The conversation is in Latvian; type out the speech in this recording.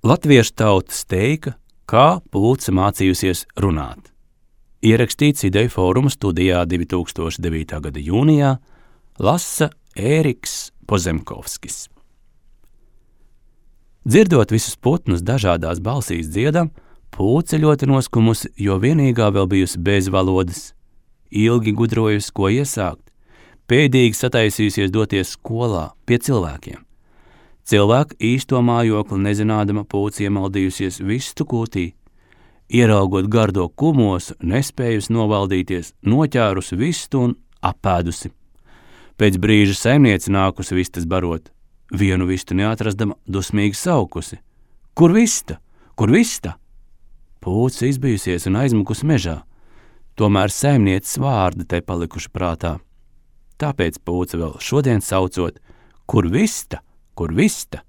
Latviešu tauta steika, kā pulce mācījusies runāt. Ierakstīts Ideju fóruma studijā 2009. gada jūnijā, lasa Ēriks Pozemkovskis. Dzirdot visus putnus dažādās balsīs dziedam, pūce ļoti noskumusi, jo vienīgā vēl bijusi bez valodas. Ilgi gudrojusi, ko iesākt, pēdīgi sataisījusies doties skolā pie cilvēkiem. Cilvēku īsto mājokli nezinādama pūce iemaldījusies vistu kūtī. Ieraugot gardo kumosu, nespējusi novaldīties, noķērusi vistu un apēdusi. Pēc brīža saimniece nākusi vistas barot. Vienu vistu neatrastama dusmīgi saukusi. Kur vista? Kur vista? Pūce izbijusies un aizmukusi mežā. Tomēr saimnieces vārdi te palikuši prātā. Tāpēc pūce vēl šodien saucot, kur vista,